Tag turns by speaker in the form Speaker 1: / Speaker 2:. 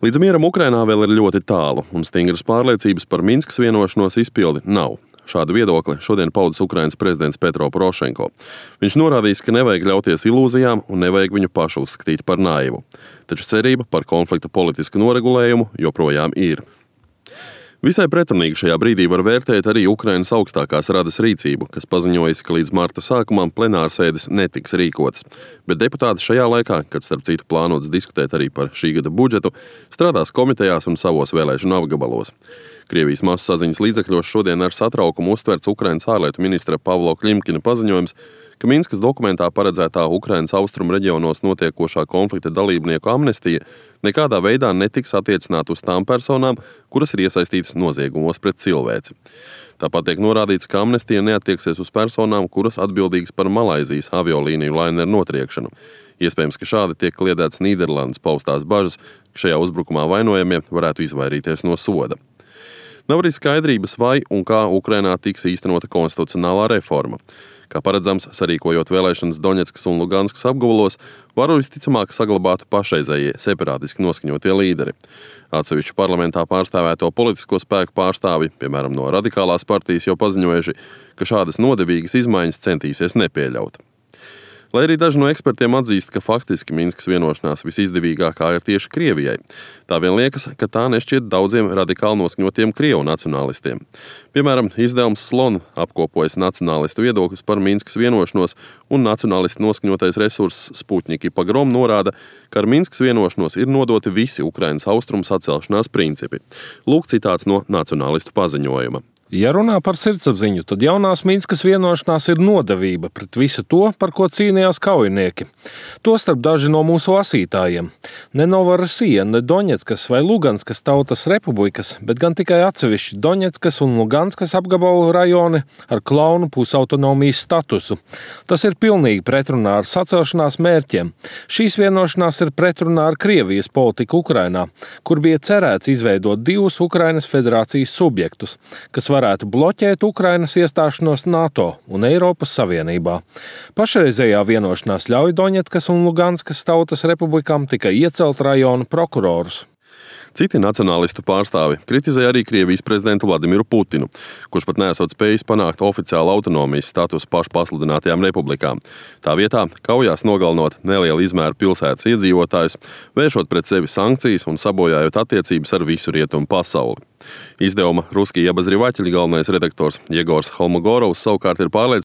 Speaker 1: Līdz mieram Ukrainā vēl ir ļoti tālu, un stingras pārliecības par Minskas vienošanos izpildi nav. Šādu viedokli šodien paudis Ukrainas prezidents Petro Porošenko. Viņš norādījis, ka nevajag ļauties ilūzijām un nevajag viņu pašu uzskatīt par naivu. Taču cerība par konflikta politisku noregulējumu joprojām ir. Visai pretrunīgi šajā brīdī var vērtēt arī Ukrainas augstākās radas rīcību, kas paziņojas, ka līdz marta sākumam plenārsēdes netiks rīkotas. Bet deputāti šajā laikā, kad starp citu plānots diskutēt arī par šī gada budžetu, strādās komitejās un savos vēlēšanu apgabalos. Krievijas masu saziņas līdzekļos šodien ar satraukumu uztverts Ukrainas ārlietu ministra Pavlo Klimkina paziņojums, ka Minskas dokumentā paredzētā Ukrainas austrumu reģionos notiekošā konflikta dalībnieku amnestija nekādā veidā netiks attiecināta uz tām personām, kuras ir iesaistītas noziegumos pret cilvēci. Tāpat tiek norādīts, ka amnestija neattieksies uz personām, kuras atbildīgas par Malaizijas aviolīniju laineru notriekšanu. Iespējams, ka šādi tiek kliedētas Nīderlandes paustās bažas, ka šajā uzbrukumā vainojamie varētu izvairīties no soda. Nav arī skaidrības, vai un kā Ukrainā tiks īstenota konstitucionālā reforma. Kā paredzams, sarīkojot vēlēšanas Doņetskas un Luganskas apgabalos, varu visticamāk saglabātu pašreizējie separātiski noskaņotie līderi. Atsevišķu parlamentā pārstāvēto politisko spēku pārstāvi, piemēram, no radikālās partijas, jau paziņojuši, ka šādas nodevīgas izmaiņas centīsies nepieļaut. Lai arī daži no ekspertiem atzīst, ka faktiski Minskas vienošanās visizdevīgākā ir tieši Krievijai, tā vien liekas, ka tā nešķiet daudziem radikāli noskaņotiem krievu nacionālistiem. Piemēram, izdevums Slon apkopojas nacionālistu viedokļus par Minskas vienošanos, un nacionālisti noskaņotais resurss Sputņiki Pagrom norāda, ka ar Minskas vienošanos ir nodoti visi Ukrainas austrumu sacelšanās principi. Lūk citāts no nacionālistu paziņojuma.
Speaker 2: Ja runā par sirdsapziņu, tad jaunās Minskas vienošanās ir nodevība pret visu to, par ko cīnījās kaujinieki. Tostarp daži no mūsu lasītājiem. Ne Novorosija, ne Doņetskas vai Luganskas tautas republikas, bet gan tikai atsevišķi Doņetskas un Luganskas apgabalu rajoni ar klaunu pusautonomijas statusu. Tas ir pilnīgi pretrunā ar sacelšanās mērķiem. Šīs vienošanās ir pretrunā ar Krievijas politiku Ukrainā, kur bija cerēts izveidot divus Ukrainas federācijas subjektus, kas varētu bloķēt Ukrainas iestāšanos NATO un Eiropas Savienībā. Pašreizējā vienošanās ļauj Doņetskas un Luganskas tautas republikām tikai iecelt rajonu prokurorus.
Speaker 1: Citi nacionālistu pārstāvi kritizē arī Krievijas prezidentu Vladimiru Putinu, kurš pat neesot spējis panākt oficiālu autonomijas statusu pašpasludinātajām republikām. Tā vietā kaujās nogalinot nelielu izmēru pilsētas iedzīvotājus, vēršot pret sevi sankcijas un sabojājot attiecības ar visu rietumu pasauli. Izdevuma Ruskija Obozrivateļi galvenais redaktors Jegors Holmogorovs savukārt ir pārliecināts,